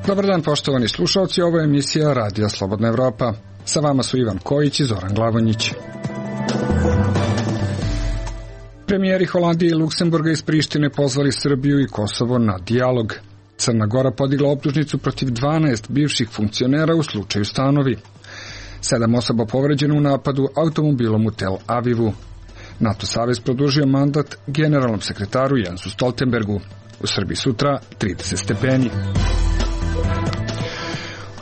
Dobar dan, poštovani slušalci, ovo je emisija Radija Slobodna Evropa. Sa vama su Ivan Kojić i Zoran Glavonjić. Premijeri Holandije i Luksemburga iz Prištine pozvali Srbiju i Kosovo na dijalog. Crna Gora podigla optužnicu protiv 12 bivših funkcionera u slučaju Stanovi. 7 osoba povređeno u napadu automobilom u Tel Avivu. NATO savez produžio mandat generalnom sekretaru Jensu Stoltenbergu. U Srbiji sutra 30 stepeni.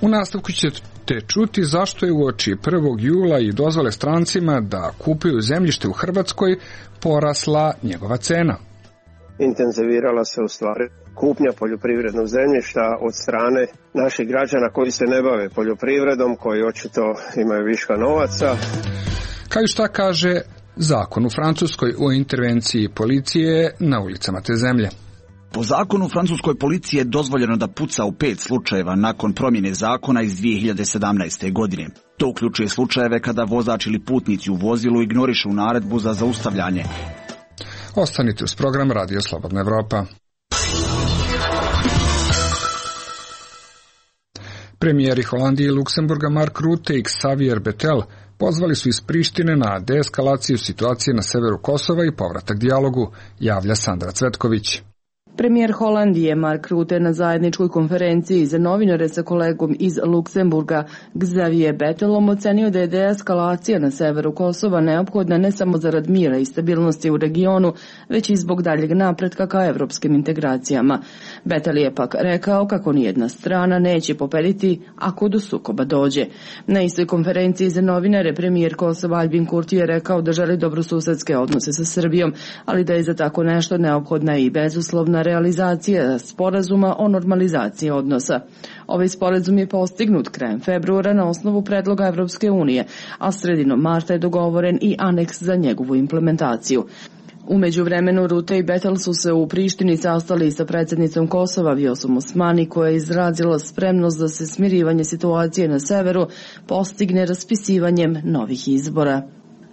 U nastavku ćete čuti zašto je uoči 1. jula i dozvole strancima da kupuju zemljište u Hrvatskoj porasla njegova cena. Intenzivirala se u stvari kupnja poljoprivrednog zemljišta od strane naših građana koji se ne bave poljoprivredom, koji očito imaju viška novaca. Kao i šta kaže zakon u Francuskoj o intervenciji policije na ulicama te zemlje. Po zakonu francuskoj policiji je dozvoljeno da puca u 5 slučajeva nakon promjene zakona iz 2017. godine. To uključuje slučajeve kada vozač ili putnici u vozilu ignorišu naredbu za zaustavljanje. Ostanite uz program Radio Slobodna Evropa. Premijeri Holandije i Luksemburga Mark Rutte i Xavier Bettel pozvali su iz Prištine na deeskalaciju situacije na severu Kosova i povratak dijalogu, javlja Sandra Cvetković. Premijer Holandije Mark Rutte na zajedničkoj konferenciji za novinare sa kolegom iz Luksemburga Xavier Bettelom ocenio da je deeskalacija na severu Kosova neophodna ne samo zarad mira i stabilnosti u regionu, već i zbog daljeg napretka ka evropskim integracijama. Bettel je pak rekao kako nijedna strana neće pobediti ako do sukoba dođe. Na istoj konferenciji za novinare premijer Kosova Albin Kurti je rekao da želi dobrosusedske odnose sa Srbijom, ali da je za tako nešto neophodna i bezuslovna realizacija sporazuma o normalizaciji odnosa. Ovaj sporazum je postignut krajem februara na osnovu predloga Evropske unije, a sredinom marta je dogovoren i aneks za njegovu implementaciju. U međuvremenu Rutte i Bettel su se u Prištini sastali sa predsjednicom Kosova Vjosom Osmani, koja je izrazila spremnost da se smirivanje situacije na severu postigne raspisivanjem novih izbora.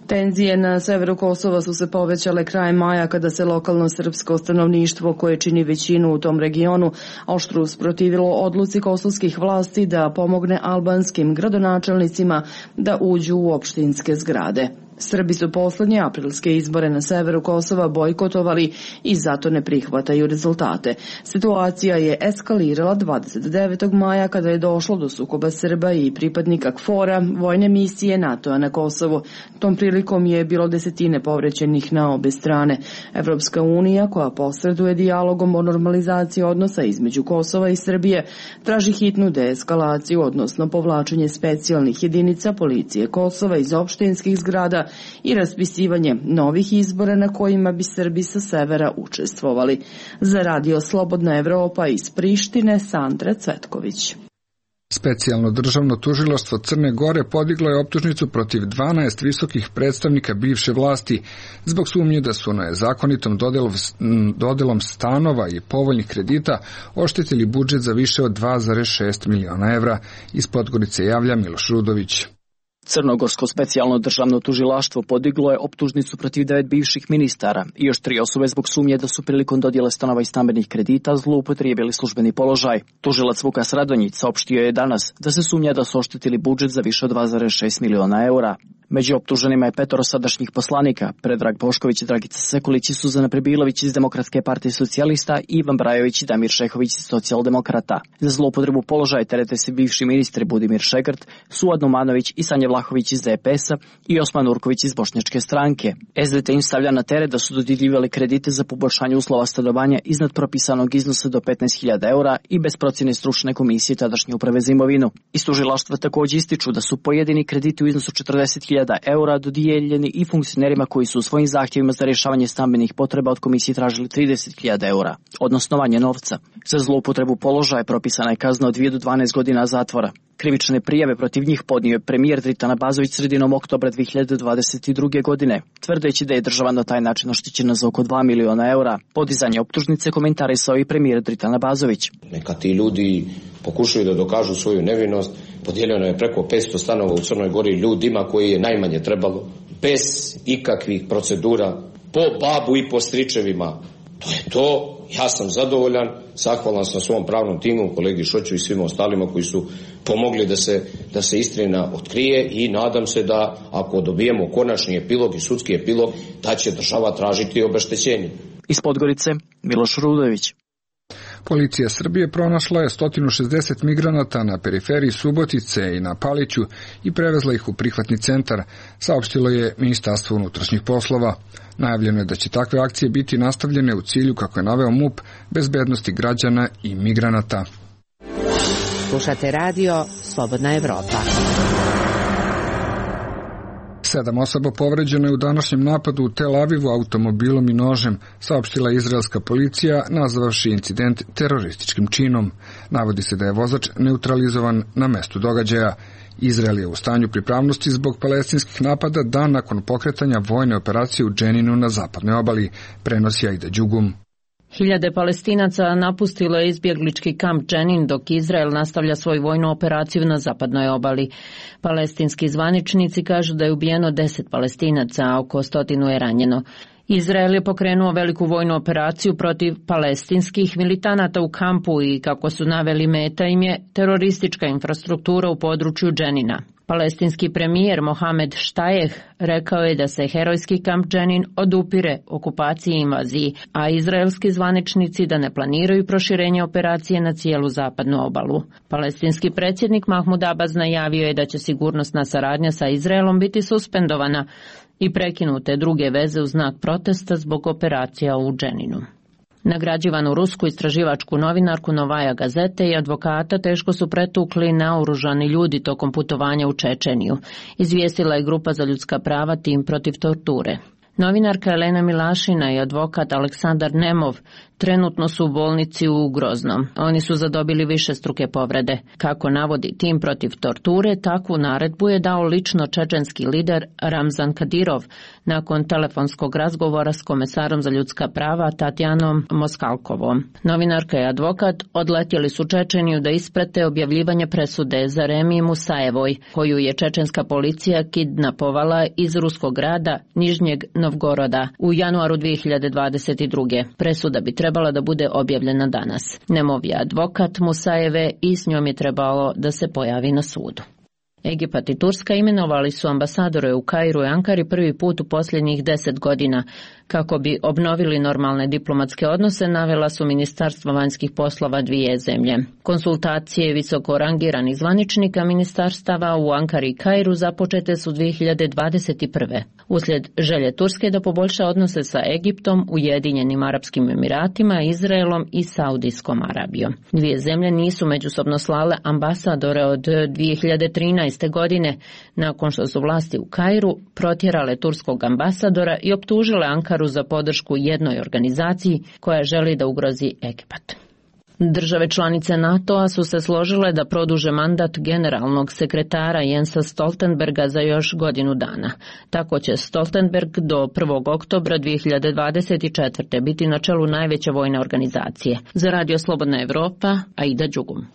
Tenzije na severu Kosova su se povećale krajem maja kada se lokalno srpsko stanovništvo koje čini većinu u tom regionu oštro usprotivilo odluci kosovskih vlasti da pomogne albanskim gradonačelnicima da uđu u opštinske zgrade. Srbi su poslednje aprilske izbore na severu Kosova bojkotovali i zato ne prihvataju rezultate. Situacija je eskalirala 29. maja kada je došlo do sukoba Srba i pripadnika KFOR-a, vojne misije NATO-a na Kosovu. Tom prilikom je bilo desetine povrećenih na obe strane. Evropska unija, koja posreduje dijalogom o normalizaciji odnosa između Kosova i Srbije, traži hitnu deeskalaciju, odnosno povlačenje specijalnih jedinica policije Kosova iz opštinskih zgrada i raspisivanje novih izbora na kojima bi Srbi sa severa učestvovali. Za Radio Slobodna Evropa iz Prištine, Sandra Cvetković. Specijalno državno tužilaštvo Crne Gore podiglo je optužnicu protiv 12 visokih predstavnika bivše vlasti zbog sumnje da su nezakonitom dodelom stanova i povoljnih kredita oštetili budžet za više od 2,6 miliona evra. Iz Podgorice javlja Miloš Rudović. Crnogorsko specijalno državno tužilaštvo podiglo je optužnicu protiv 9 bivših ministara i još 3 osobe zbog sumnje da su prilikom dodjele stanova i stambenih kredita zloupotrijebili službeni položaj. Tužilac Vukas Radonjić saopštio je danas da se sumnja da su oštetili budžet za više od 2,6 miliona eura. Među optuženima je 5 sadašnjih poslanika, Predrag Bošković, Dragica Sekulić i Suzana Prebilović iz Demokratske partije socijalista, Ivan Brajović i Damir Šehović iz socijaldemokrata. Za zloupotrebu položaja terete se bivši ministri Budimir Šegrt, Suad Numanović i Sanja Vlahović iz DPS-a i Osman Urković iz Bošnjačke stranke. SDT im stavlja na teret da su dodjeljivali kredite za poboljšanje uslova stanovanja iznad propisanog iznosa do 15.000 eura i bez procjene stručne komisije tadašnje uprave za imovinu. Iz tužilaštva također ističu da su pojedini krediti u iznosu 40.000 eura dodijeljeni i funkcionerima koji su u svojim zahtjevima za rješavanje stambenih potreba od komisije tražili 30.000 eura, odnosno manje novca. Za zloupotrebu položaja propisana je kazna od 2 do 12 godina zatvora. Krivične prijave protiv njih podnio je premijer Dritan Abazović sredinom oktobra 2022. godine, tvrdeći da je država na taj način oštećena za oko 2 miliona eura. Podizanje optužnice komentarisao i premijer Dritan Abazović. Neka ti ljudi pokušaju da dokažu svoju nevinost. Podijeljeno je preko 500 stanova u Crnoj Gori ljudima koji je najmanje trebalo, bez ikakvih procedura, po babu i po stričevima. To je to, ja sam zadovoljan, zahvalan sam svom pravnom timu, kolegi Šoću i svima ostalima koji su pomogli da se istina otkrije i nadam se da ako dobijemo konačni epilog i sudski epilog, da će država tražiti obeštećenje. Iz Podgorice, Miloš Rudović. Policija Srbije pronašla je 160 migranata na periferiji Subotice i na Paliću i prevezla ih u prihvatni centar, saopštilo je Ministarstvo unutrašnjih poslova. Najavljeno je da će takve akcije biti nastavljene u cilju, kako je naveo MUP, bezbednosti građana i migranata. Slušate radio Slobodna Evropa. 7 osoba povređeno je u današnjem napadu u Tel Avivu automobilom i nožem, saopštila je izraelska policija, nazvavši incident terorističkim činom. Navodi se da je vozač neutralizovan na mestu događaja. Izrael je u stanju pripravnosti zbog palestinskih napada dan nakon pokretanja vojne operacije u Dženinu na zapadnoj obali, prenosi Aida Đugum. Hiljade Palestinaca napustilo je izbjeglički kamp Dženin dok Izrael nastavlja svoju vojnu operaciju na zapadnoj obali. Palestinski zvaničnici kažu da je ubijeno 10 Palestinaca, a oko 100 je ranjeno. Izrael je pokrenuo veliku vojnu operaciju protiv palestinskih militanata u kampu i, kako su naveli, meta im je teroristička infrastruktura u području Dženina. Palestinski premijer Mohamed Štajeh rekao je da se herojski kamp Dženin odupire okupaciji i invaziji, a izraelski zvaničnici da ne planiraju proširenje operacije na cijelu zapadnu obalu. Palestinski predsjednik Mahmud Abbas najavio je da će sigurnosna saradnja sa Izraelom biti suspendovana i prekinute druge veze u znak protesta zbog operacija u Dženinu. Nagrađivanu rusku istraživačku novinarku Novaja Gazete i advokata teško su pretukli naoružani ljudi tokom putovanja u Čečeniju, izvijestila je grupa za ljudska prava Tim protiv torture. Novinarka Elena Milašina i advokat Aleksandar Nemov trenutno su u bolnici u Groznom. Oni su zadobili višestruke povrede. Kako navodi Tim protiv torture, takvu naredbu je dao lično čečenski lider Ramzan Kadirov nakon telefonskog razgovora s komesarom za ljudska prava Tatjanom Moskalkovom. Novinarka i advokat odletjeli su Čečeniju da isprate objavljivanje presude Zaremi Musajevoj, koju je čečenska policija kidnapovala iz ruskog grada Nižnjeg Novgoroda u januaru 2022. Presuda bi trebala da bude objavljena danas. Nemov je advokat Musajeve i s njom je trebalo da se pojavi na sudu. Egipat i Turska imenovali su ambasadore u Kairu i Ankari prvi put u posljednjih 10 godina. Kako bi obnovili normalne diplomatske odnose, navela su ministarstva vanjskih poslova dvije zemlje. Konsultacije visoko rangiranih zvaničnika ministarstava u Ankari i Kairu započete su 2021. Uslijed želje Turske da poboljša odnose sa Egiptom, Ujedinjenim Arapskim Emiratima, Izraelom i Saudijskom Arabijom. Dvije zemlje nisu međusobno slale ambasadore od 2013. godine, nakon što su vlasti u Kairu protjerale turskog ambasadora i optužile Ankaru za podršku jednoj organizaciji koja želi da ugrozi Egipat. Države članice NATO-a su se složile da produže mandat generalnog sekretara Jensa Stoltenberga za još godinu dana. Tako će Stoltenberg do 1. oktobra 2024. biti na čelu najveće vojne organizacije. Za Radio Slobodna Evropa, Aida Đugum.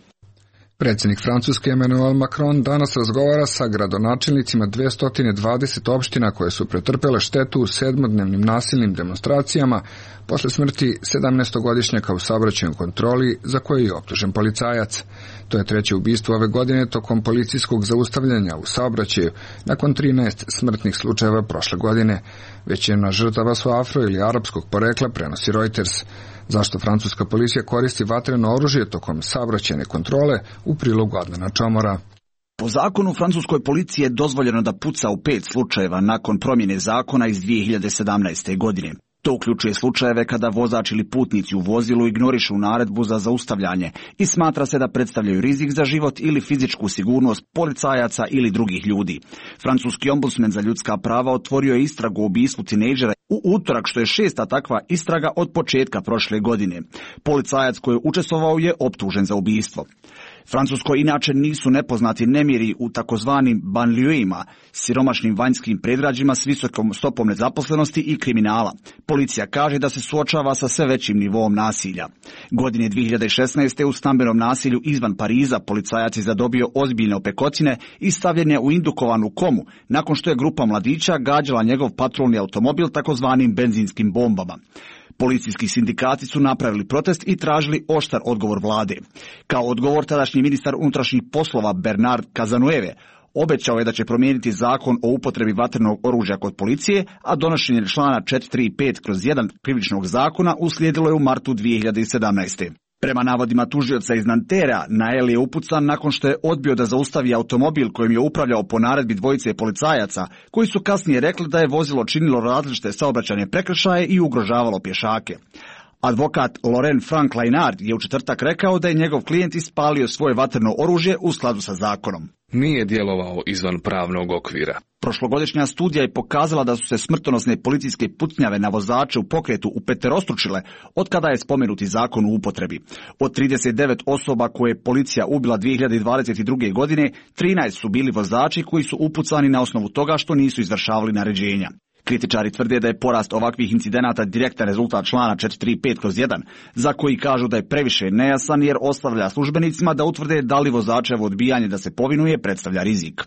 Predsjednik Francuske Emmanuel Macron danas razgovara sa gradonačelnicima 220 opština koje su pretrpele štetu u 7-dnevnim nasilnim demonstracijama posle smrti 17-godišnjaka u saobraćajnoj kontroli za koje je optužen policajac. To je treće ubistvo ove godine tokom policijskog zaustavljanja u saobraćaju nakon 13 smrtnih slučajeva prošle godine. Većina žrtava su afro ili arapskog porekla, prenosi Reuters. Zašto francuska policija koristi vatreno oružje tokom saobraćajne kontrole, u prilogu Adnana Čomora. Po zakonu francuskoj policiji je dozvoljeno da puca u 5 slučajeva nakon promjene zakona iz 2017. godine. To uključuje slučajeve kada vozač ili putnici u vozilu ignorišu naredbu za zaustavljanje i smatra se da predstavljaju rizik za život ili fizičku sigurnost policajaca ili drugih ljudi. Francuski ombudsman za ljudska prava otvorio je istragu o ubistvu tinejdžera u utorak, što je 6. takva istraga od početka prošle godine. Policajac koji je učestvovao je optužen za ubistvo. Francuskoj inače nisu nepoznati nemiri u takozvanim banlieuima, siromašnim vanjskim predgrađima s visokom stopom nezaposlenosti i kriminala. Policija kaže da se suočava sa sve većim nivom nasilja. Godine 2016. u stambenom nasilju izvan Pariza policajac je zadobio ozbiljne opekotine i stavljen je u indukovanu komu nakon što je grupa mladića gađala njegov patrolni automobil takozvanim benzinskim bombama. Policijski sindikati su napravili protest i tražili oštar odgovor vlade. Kao odgovor tadašnji ministar unutrašnjih poslova Bernard Cazeneuve obećao je da će promijeniti zakon o upotrebi vatrenog oružja kod policije, a donošenje člana 435/1 krivičnog zakona uslijedilo je u martu 2017. Prema navodima tužioca iz Nantera, Nael je upucan nakon što je odbio da zaustavi automobil kojim je upravljao po naredbi dvojice policajaca, koji su kasnije rekli da je vozilo činilo različite saobraćajne prekršaje i ugrožavalo pješake. Advokat Laurent Frank Lainard je u četvrtak rekao da je njegov klijent ispalio svoje vatreno oružje u skladu sa zakonom. Nije djelovao izvan pravnog okvira. Prošlogodišnja studija je pokazala da su se smrtonosne policijske pucnjave na vozače u pokretu upeterostručile od kada je spomenuti zakon u upotrebi. Od 39 osoba koje je policija ubila 2022. godine, 13 su bili vozači koji su upucani na osnovu toga što nisu izvršavali naređenja. Kritičari tvrde da je porast ovakvih incidenata direktan rezultat člana 435/1, za koji kažu da je previše nejasan jer ostavlja službenicima da utvrde da li vozačevo odbijanje da se povinuje predstavlja rizik.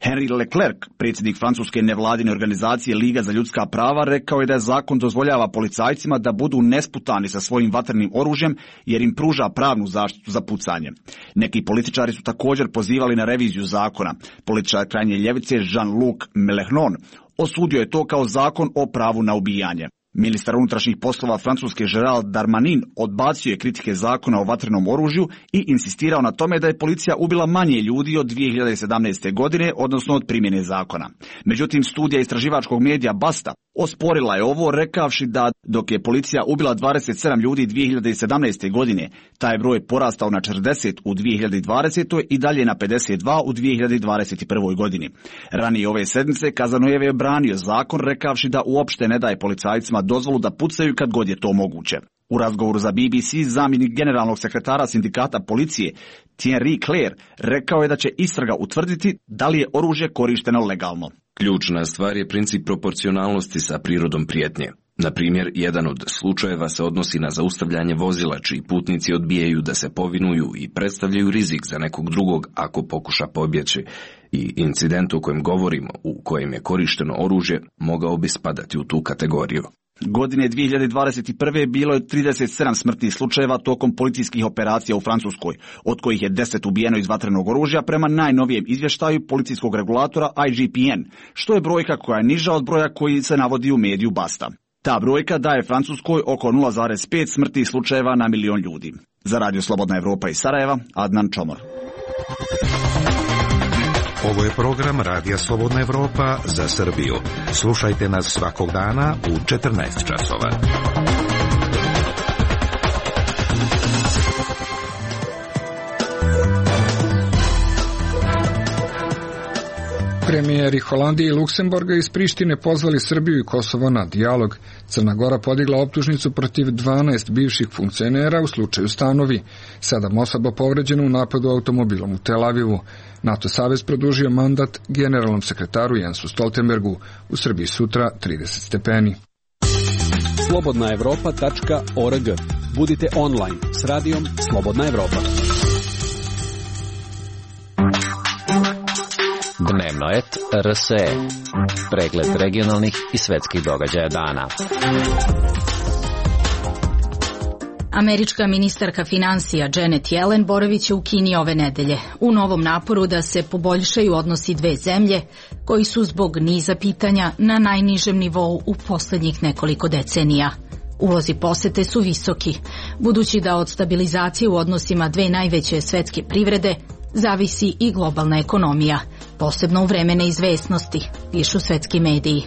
Henri Leclerc, predsjednik francuske nevladine organizacije Liga za ljudska prava, rekao je da zakon dozvoljava policajcima da budu nesputani sa svojim vatrenim oružjem jer im pruža pravnu zaštitu za pucanje. Neki političari su također pozivali na reviziju zakona. Političar krajnje ljevice Jean-Luc Mélenchon osudio je to kao zakon o pravu na ubijanje. Ministar unutrašnjih poslova Francuske Gérald Darmanin odbacio je kritike zakona o vatrenom oružju i insistirao na tome da je policija ubila manje ljudi od 2017. godine, odnosno od primjene zakona. Međutim, studija istraživačkog medija Basta osporila je ovo, rekavši da dok je policija ubila 27 ljudi 2017. godine, taj broj porastao na 40 u 2020. i dalje na 52 u 2021. godini. Ranije ove sedmice Cazeneuve je branio zakon, rekavši da uopšte ne daje policajcima dozvolu da pucaju kad god je to moguće. U razgovoru za BBC zamjenik generalnog sekretara sindikata policije Thierry Clair rekao je da će istraga utvrditi da li je oružje korišteno legalno. Ključna stvar je princip proporcionalnosti sa prirodom prijetnje. Na primjer, jedan od slučajeva se odnosi na zaustavljanje vozila čiji putnici odbijaju da se povinuju i predstavljaju rizik za nekog drugog ako pokuša pobjeći. I incident o kojem govorimo, u kojem je korišteno oružje, mogao bi spadati u tu kategoriju. Godine 2021. bilo je 37 smrtnih slučajeva tokom policijskih operacija u Francuskoj, od kojih je 10 ubijeno iz vatrenog oružja prema najnovijem izvještaju policijskog regulatora IGPN, što je brojka koja je niža od broja koji se navodi u mediju Basta. Ta brojka daje Francuskoj oko 0,5 smrtnih slučajeva na milion ljudi. Za Radio Slobodna Evropa iz Sarajeva, Adnan Čomor. Ovo je program Radija Slobodna Evropa za Srbiju. Slušajte nas svakog dana u 14 časova. Premijeri Holandije i Luksemburga iz Prištine pozvali Srbiju i Kosovo na dijalog. Crna Gora podigla optužnicu protiv 12 bivših funkcionera u slučaju Stanovi. 7 osoba povređeno u napadu automobilom u Tel Avivu. NATO savez produžio mandat generalnom sekretaru Jensu Stoltenbergu. U Srbiji sutra 30 stepeni. slobodnaevropa.org. Budite online s radijom Slobodna Evropa. Dnevnoet RSE. Pregled regionalnih i svetskih događaja dana. Američka ministarka financija Janet Yellen boravit će u Kini ove nedelje u novom naporu da se poboljšaju odnosi dve zemlje koji su zbog niza pitanja na najnižem nivou u posljednjih nekoliko decenija. Ulozi posete su visoki, budući da od stabilizacije u odnosima dve najveće svetske privrede zavisi i globalna ekonomija, posebno u vreme neizvesnosti, pišu svetski mediji.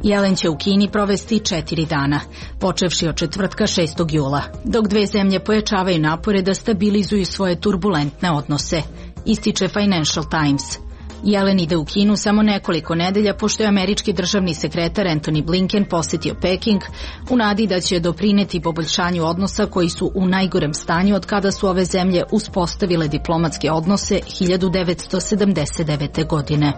Yellen će u Kini provesti 4 dana, počevši od četvrtka 6. jula, dok dve zemlje pojačavaju napore da stabilizuju svoje turbulentne odnose, ističe Financial Times. Yellen ide u Kinu samo nekoliko nedelja pošto je američki državni sekretar Antony Blinken posjetio Peking u nadi da će doprineti poboljšanju odnosa koji su u najgorem stanju od kada su ove zemlje uspostavile diplomatske odnose 1979. godine.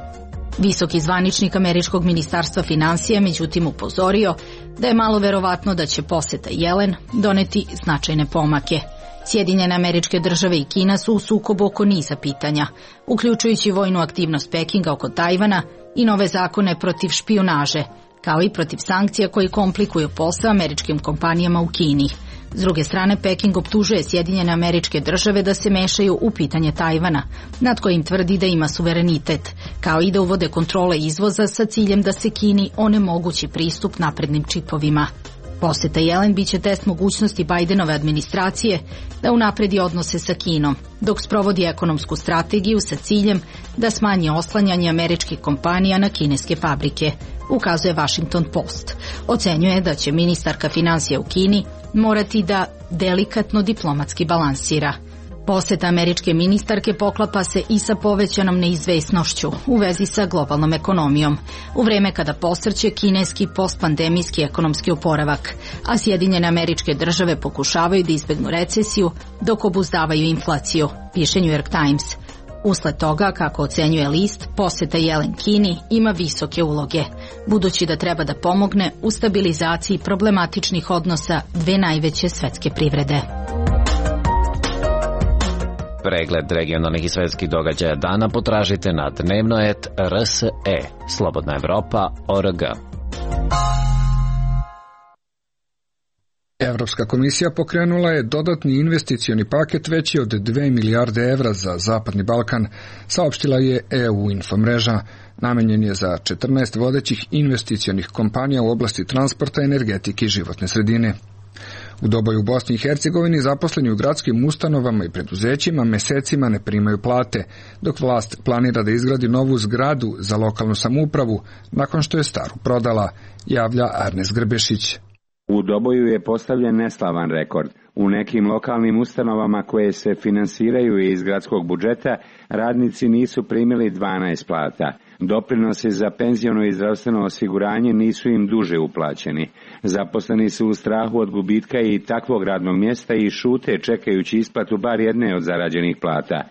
Visoki zvaničnik američkog ministarstva financija međutim upozorio da je malo verovatno da će posjeta Yellen doneti značajne pomake. Sjedinjene Američke Države i Kina su u sukobu oko niza pitanja, uključujući vojnu aktivnost Pekinga oko Tajvana i nove zakone protiv špijunaže, kao i protiv sankcija koji komplikuju posao američkim kompanijama u Kini. S druge strane, Peking optužuje Sjedinjene Američke Države da se mešaju u pitanje Tajvana, nad kojim tvrdi da ima suverenitet, kao i da uvode kontrole izvoza sa ciljem da se Kini onemogući pristup naprednim čipovima. Poseta Jelen biće test mogućnosti Bidenove administracije da unapredi odnose sa Kinom, dok sprovodi ekonomsku strategiju sa ciljem da smanji oslanjanje američkih kompanija na kineske fabrike, ukazuje Washington Post. Ocenjuje da će ministarka finansija u Kini morati da delikatno diplomatski balansira. Poseta američke ministarke poklapa se i sa povećanom neizvesnošću u vezi sa globalnom ekonomijom, u vreme kada posrće kineski postpandemijski ekonomski oporavak, a Sjedinjene Američke Države pokušavaju da izbegnu recesiju dok obuzdavaju inflaciju, piše New York Times. Usled toga, kako ocenjuje list, poseta Jelen Kini ima visoke uloge, budući da treba da pomogne u stabilizaciji problematičnih odnosa dve najveće svetske privrede. Pregled regionalnih i svetskih događaja dana potražite na dnevnoet.rse, Slobodna Evropa.org. Evropska komisija pokrenula je dodatni investicioni paket veći od 2 milijarde evra za Zapadni Balkan, saopštila je EU Infomreža. Namenjen je za 14 vodećih investicionih kompanija u oblasti transporta, energetike i životne sredine. U Doboju u Bosni i Hercegovini zaposleni u gradskim ustanovama i preduzećima mesecima ne primaju plate, dok vlast planira da izgradi novu zgradu za lokalnu samoupravu nakon što je staru prodala, javlja Arnes Grbešić. U Doboju je postavljen neslavan rekord. U nekim lokalnim ustanovama koje se finansiraju iz gradskog budžeta, radnici nisu primili 12 plata. Doprinosi za penziono i zdravstveno osiguranje nisu im duže uplaćeni. Zaposleni su u strahu od gubitka i takvog radnog mjesta i šute čekajući isplatu bar jedne od zarađenih plata.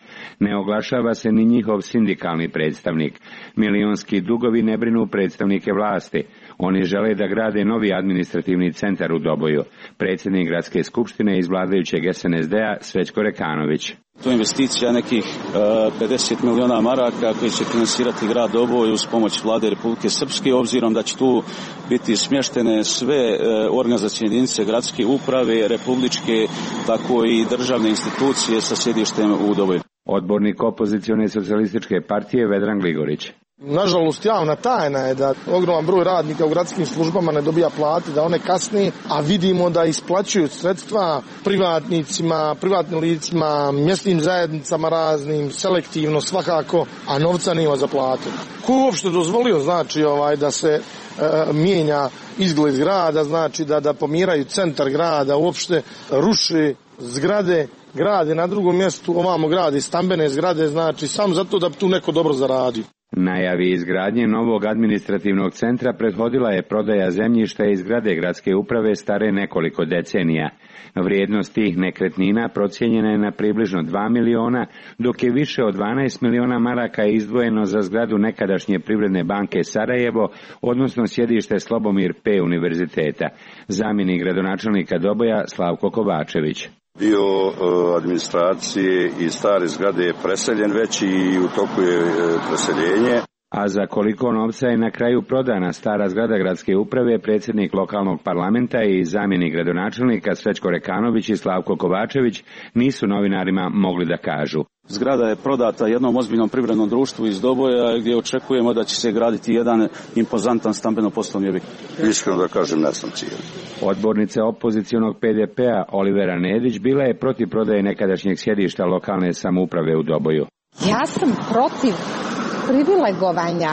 Ne oglašava se ni njihov sindikalni predstavnik. Milionski dugovi ne brinu predstavnike vlasti. Oni žele da grade novi administrativni centar u Doboju. Predsjednik gradske skupštine iz vladajućeg SNSD-a Srećko Rekanović. To je investicija nekih 50 miliona maraka koji će finansirati grad Doboj uz pomoć vlade Republike Srpske, obzirom da će tu biti smještene sve organizacijne jedinice gradske uprave, republičke, tako i državne institucije sa sjedištem u Doboju. Odbornik opozicione socijalističke partije Vedran Gligorić. Nažalost, javna tajna je da ogroman broj radnika u gradskim službama ne dobija plate, da one kasni, a vidimo da isplaćuju sredstva privatnicima, privatnim licima, mjesnim zajednicama raznim, selektivno svakako, a novca nema za plate. Ko je uopšte dozvolio, znači, da se mijenja izgled grada, znači da pomiraju centar grada, uopšte ruše zgrade, grade na drugom mjestu, ovamo grade stambene zgrade, znači samo zato da bi tu neko dobro zaradio. Najavi izgradnje novog administrativnog centra prethodila je prodaja zemljišta iz zgrade gradske uprave stare nekoliko decenija. Vrijednost tih nekretnina procijenjena je na približno 2 miliona, dok je više od 12 miliona maraka izdvojeno za zgradu nekadašnje Privredne banke Sarajevo, odnosno sjedište Slobomir P. univerziteta. Zamjenik gradonačelnika Doboja Slavko Kovačević. Dio administracije i stare zgrade je preseljen već i u toku je preseljenje. A za koliko novca je na kraju prodana stara zgrada gradske uprave, predsjednik lokalnog parlamenta i zamjenik gradonačelnika Srećko Rekanović i Slavko Kovačević nisu novinarima mogli da kažu. Zgrada je prodata jednom ozbiljnom privrednom društvu iz Doboja gdje očekujemo da će se graditi jedan impozantan stambeno-poslovni objekt. Iskreno da kažem, ne sam cijeli. Odbornica opozicionog PDP-a Olivera Nedić bila je protiv prodaje nekadašnjeg sjedišta lokalne samouprave u Doboju. Ja sam protiv privilegovanja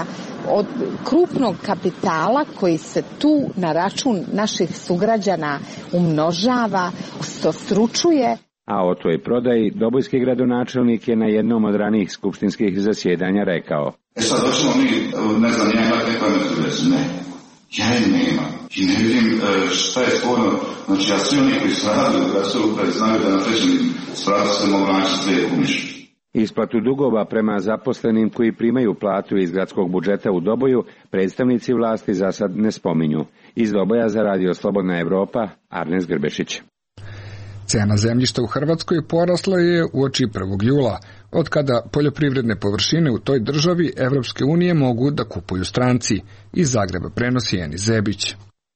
od krupnog kapitala koji se tu na račun naših sugrađana umnožava, stostručuje. A o toj prodaji dobojski gradonačelnik je na jednom od ranijih skupštinskih zasjedanja rekao. Sad došlo mi, ne znam, ja imate nekoj među ne. Ja nema. I ne vidim šta je sporno. Znači, ja svi oni koji su radili u gradskoj upravi znaju da na trećem spratu se mogu naći sve umišlju. Isplatu dugova prema zaposlenim koji primaju platu iz gradskog budžeta u Doboju predstavnici vlasti za sad ne spominju. Iz Doboja za radio Slobodna Evropa, Arnes Grbešić. Cena zemljišta u Hrvatskoj porasla je uoči 1. jula, od kada poljoprivredne površine u toj državi Evropske unije mogu da kupuju stranci. Iz Zagreba prenosi Enis Zebić.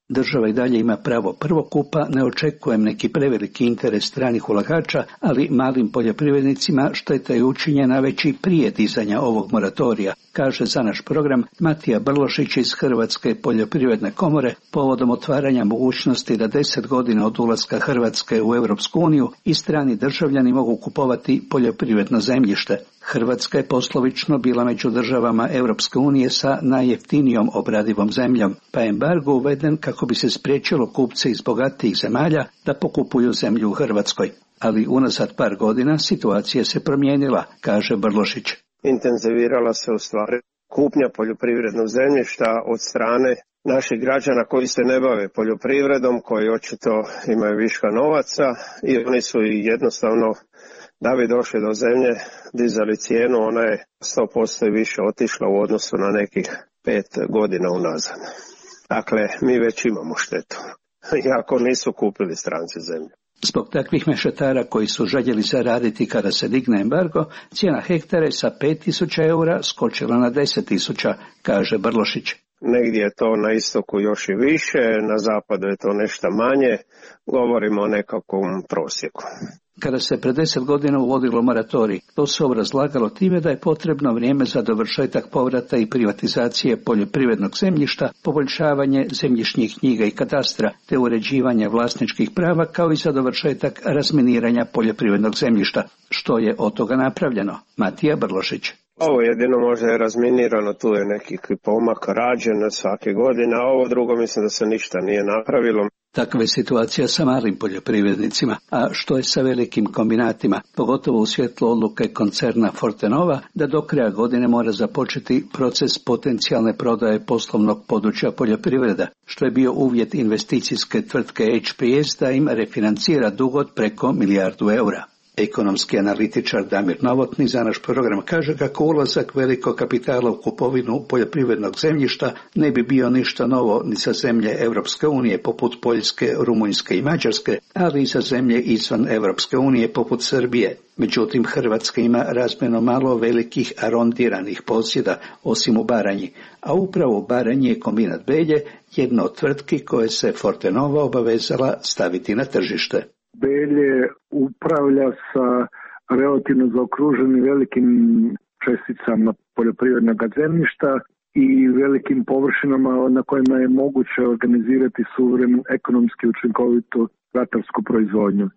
Država i dalje ima pravo prvokupa, ne očekujem neki preveliki interes stranih ulagača, ali malim poljoprivrednicima šteta je učinjena već i prije dizanja ovog moratorija, kaže za naš program Matija Brlošić iz Hrvatske poljoprivredne komore povodom otvaranja mogućnosti da 10 godina od ulaska Hrvatske u Europsku uniju i strani državljani mogu kupovati poljoprivredno zemljište. Hrvatska je poslovično bila među državama Europske unije sa najjeftinijom obradivom zemljom, pa je embargo uveden kako bi se spriječilo kupce iz bogatijih zemalja da pokupuju zemlju u Hrvatskoj. Ali unazad par godina situacija se promijenila, kaže Brlošić. Intenzivirala se u stvari kupnja poljoprivrednog zemljišta od strane naših građana koji se ne bave poljoprivredom, koji očito imaju viška novaca i oni su jednostavno, da bi došli do zemlje, dizali cijenu, ona je 100% i više otišla u odnosu na nekih 5 godina unazad. Dakle, mi već imamo štetu, iako nisu kupili stranci zemlju. Zbog takvih mešetara koji su željeli zaraditi kada se digne embargo, cijena hektara je sa 5.000 eura skočila na 10.000, kaže Brlošić. Negdje je to na istoku još i više, na zapadu je to nešto manje, govorimo o nekakvom prosjeku. Kada se pred 10 godina uvodilo moratorij, to se obrazlagalo time da je potrebno vrijeme za dovršetak povrata i privatizacije poljoprivrednog zemljišta, poboljšavanje zemljišnih knjiga i katastra, te uređivanje vlasničkih prava, kao i za dovršetak razminiranja poljoprivrednog zemljišta. Što je od toga napravljeno? Matija Brlošić. Ovo jedino možda je razminirano, tu je neki pomak rađen svake godine, a ovo drugo mislim da se ništa nije napravilo. Takva je situacija sa malim poljoprivrednicima, a što je sa velikim kombinatima, pogotovo u svjetlu odluke koncerna Fortenova da do kraja godine mora započeti proces potencijalne prodaje poslovnog područja poljoprivreda, što je bio uvjet investicijske tvrtke HPS da im refinancira dug od preko 1 milijardu eura. Ekonomski analitičar Damir Novotni za naš program kaže kako ulazak velikog kapitala u kupovinu poljoprivrednog zemljišta ne bi bio ništa novo ni za zemlje Europske unije poput Poljske, Rumunjske i Mađarske, ali i za zemlje izvan Europske unije poput Srbije. Međutim, Hrvatska ima razmjerno malo velikih arondiranih posjeda, osim u Baranji, a upravo u Baranji je kombinat Belje jedna od tvrtki koje se Fortenova obavezala staviti na tržište. Belje upravlja sa relativno zaokruženim velikim česticama poljoprivrednog zemljišta i velikim površinama na kojima je moguće organizirati suvremenu ekonomski učinkovitu ratarsku proizvodnju.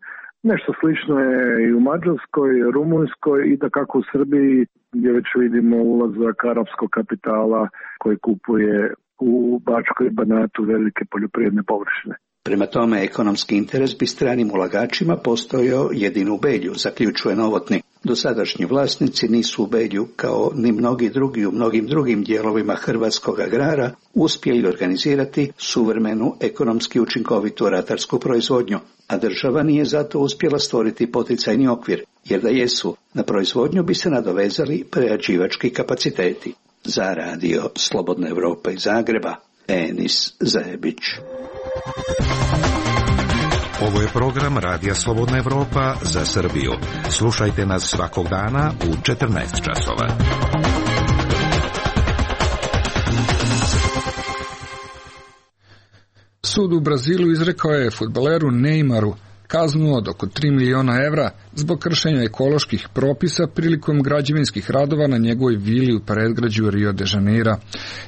Nešto slično je i u Mađarskoj, Rumunjskoj i da kako u Srbiji gdje već vidimo ulazak arapskog kapitala koji kupuje u Bačkoj i Banatu velike poljoprivredne površine. Prema tome, ekonomski interes bi stranim ulagačima postojao jedino u Belju, zaključuje Novotni. Dosadašnji vlasnici nisu u Belju, kao ni mnogi drugi u mnogim drugim dijelovima hrvatskog agrara, uspjeli organizirati suvremenu ekonomski učinkovitu ratarsku proizvodnju, a država nije zato uspjela stvoriti poticajni okvir, jer da jesu, na proizvodnju bi se nadovezali prerađivački kapaciteti. Za radio Slobodna Evropa iz Zagreba, Enis Zebić. Ovo je program Radija Slobodna Evropa za Srbiju. Slušajte nas svakog dana u 14 časova. Sud u Brazilu izrekao je fudbaleru Neymaru kaznu od oko 3 miliona evra zbog kršenja ekoloških propisa prilikom građevinskih radova na njegovoj vili u predgrađu Rio de Janeira.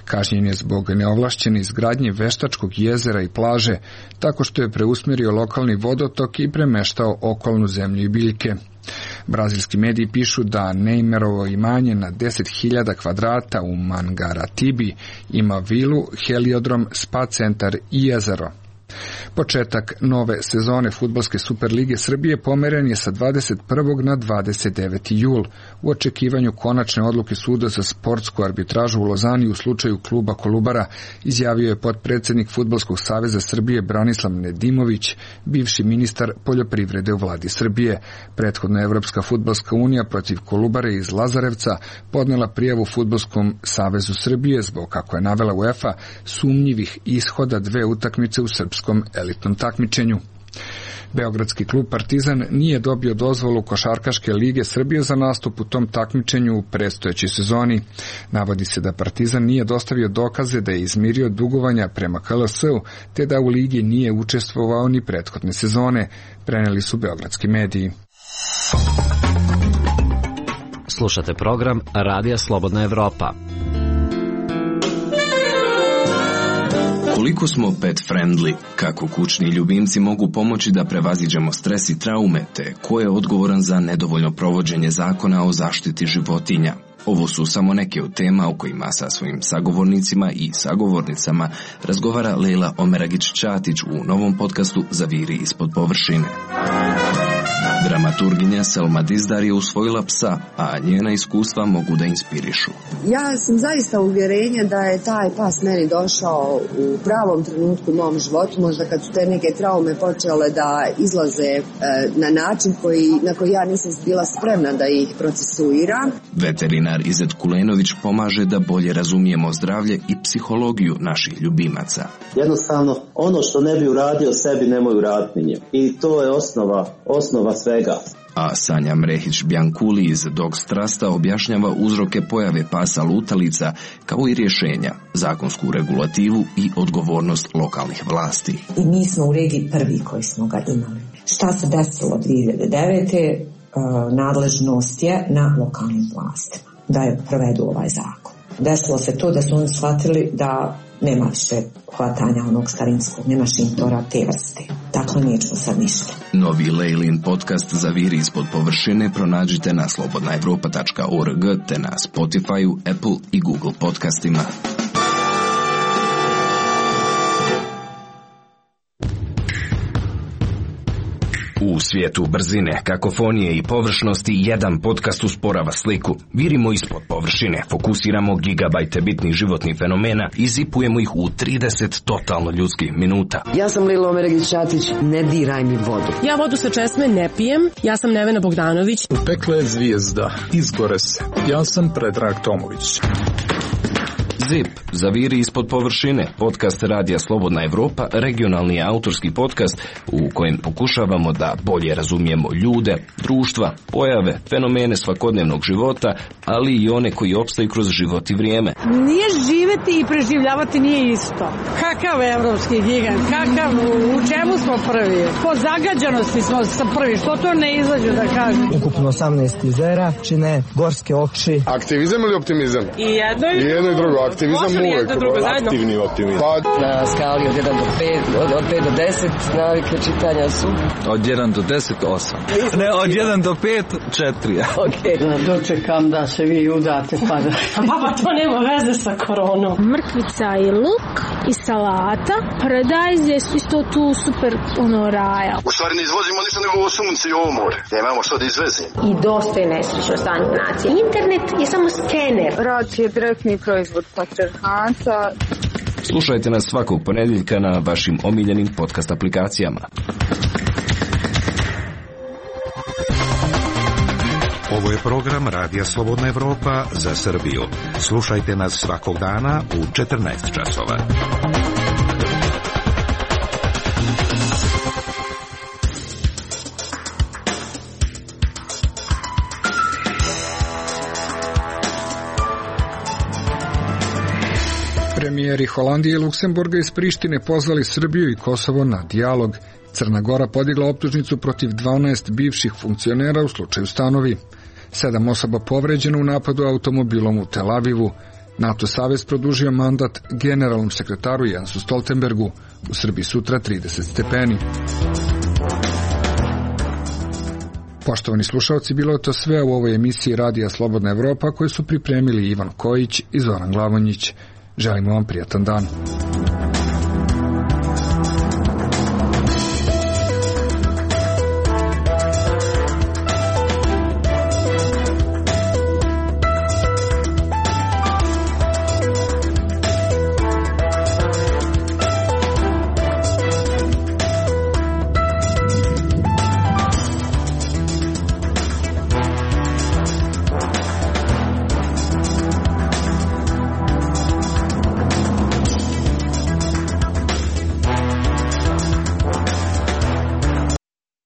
Kažnjen je zbog neovlašćene izgradnje veštačkog jezera i plaže, tako što je preusmjerio lokalni vodotok i premeštao okolnu zemlju i biljke. Brazilski mediji pišu da Neymarovo imanje na 10.000 kvadrata u Mangaratibi ima vilu, heliodrom, spa centar i jezero. Početak nove sezone fudbalske Superlige Srbije pomeren je sa 21. na 29. jul u očekivanju konačne odluke suda za sportsku arbitražu u Lozani u slučaju kluba Kolubara, izjavio je potpredsjednik Fudbalskog saveza Srbije Branislav Nedimović, bivši ministar poljoprivrede u vladi Srbije. Prethodno Evropska fudbalska unija protiv Kolubare iz Lazarevca podnela prijavu Fudbalskom savezu Srbije zbog, kako je navela UEFA, sumnjivih ishoda 2 utakmice u srpskom elitnom takmičenju. Beogradski klub Partizan nije dobio dozvolu Košarkaške lige Srbije za nastup u tom takmičenju u predstojećoj sezoni. Navodi se da Partizan nije dostavio dokaze da je izmirio dugovanja prema KLS-u, te da u ligi nije učestvovao ni prethodne sezone, preneli su beogradski mediji. Slušate program Radija Slobodna Evropa. Koliko smo pet friendly, kako kućni ljubimci mogu pomoći da prevaziđemo stres i traume, te ko je odgovoran za nedovoljno provođenje zakona o zaštiti životinja? Ovo su samo neke od tema o kojima sa svojim sagovornicima i sagovornicama razgovara Lejla Omeragić-Ćatić u novom podcastu Zaviri ispod površine. Dramaturginja Selma Dizdar je usvojila psa, a njena iskustva mogu da inspirišu. Ja sam zaista uvjerenja da je taj pas meni došao u pravom trenutku u mom životu, možda kad su te neke traume počele da izlaze na način na koji ja nisam bila spremna da ih procesuiram. Veterinar Izet Kulenović pomaže da bolje razumijemo zdravlje i psihologiju naših ljubimaca. Jednostavno, ono što ne bi uradio sebi, nemoj uraditi njim. I to je osnova svega. A Sanja Mrehić-Bjankuli iz Dogs Trusta objašnjava uzroke pojave pasa lutalica, kao i rješenja, zakonsku regulativu i odgovornost lokalnih vlasti. I mi smo u regiji prvi koji smo ga imali. Šta se desilo 2009. Nadležnost je na lokalnim vlastima da je provedu ovaj zakon. Desilo se to da su oni shvatili da nema više hvatanja onog starinskog, nema šintora te vrste. Dakle, nećemo sad ništa. Novi Lejlin podcast Zaviri ispod površine pronađite na slobodnaevropa.org te na Spotify, Apple i Google podcastima. U svijetu brzine, kakofonije i površnosti jedan podcast usporava sliku. Virimo ispod površine, fokusiramo gigabajte bitnih životnih fenomena i zipujemo ih u 30 totalno ljudskih minuta. Ja sam Lejla Omeragić-Ćatić, ne diraj mi vodu. Ja vodu sa česme ne pijem, ja sam Nevena Bogdanović. U pekle zvijezda, izgore se. Ja sam Predrag Tomović. ZIP, Zaviri ispod površine, podcast Radija Slobodna Evropa, regionalni autorski podcast u kojem pokušavamo da bolje razumijemo ljude, društva, pojave, fenomene svakodnevnog života, ali i one koji opstaju kroz život i vrijeme. Nije živeti i preživljavati nije isto. Kakav evropski gigant, u čemu smo prvi? Po zagađanosti smo prvi, što to ne izađe da kažem? Ukupno 18 jezera, čine gorske oči. Aktivizam ili optimizam? I jedno i drugo. Aktivizam uvijek, aktivni optimizam. Na skali od 1 do 5, od 5 do 10 navike čitanja su? Od 1 do 10, 8. Ne, od 1 do 5, 4. Ok. Dočekam da se vi udate pa da... Papa, to nema veze sa koronom. Mrkvica i luk i salata. Paradajz je isto tu super raja. U stvari ne izvozimo ništa nego ovo sunce i ovo more. Nemamo što da izvezimo. I dosta je nesrećno stanje nacije. Internet je samo skener. Rad je direktni proizvod patrijarhata. Slušajte nas svakog ponedjeljka na vašim omiljenim podcast aplikacijama. Ovo je program Radija Slobodna Evropa za Srbiju. Slušajte nas svakog dana u 14 časova. Premijeri Holandije i Luksemburga iz Prištine pozvali Srbiju i Kosovo na dijalog. Crna Gora podigla optužnicu protiv 12 bivših funkcionera u slučaju Stanovi. 7 osoba povređeno u napadu automobilom u Tel Avivu. NATO savez produžio mandat generalnom sekretaru Jensu Stoltenbergu. U Srbiji sutra 30 stepeni. Poštovani slušalci, bilo je to sve u ovoj emisiji Radija Slobodna Evropa koju su pripremili Ivan Kojić i Zoran Glavonjić. Želimo vam prijatan dan.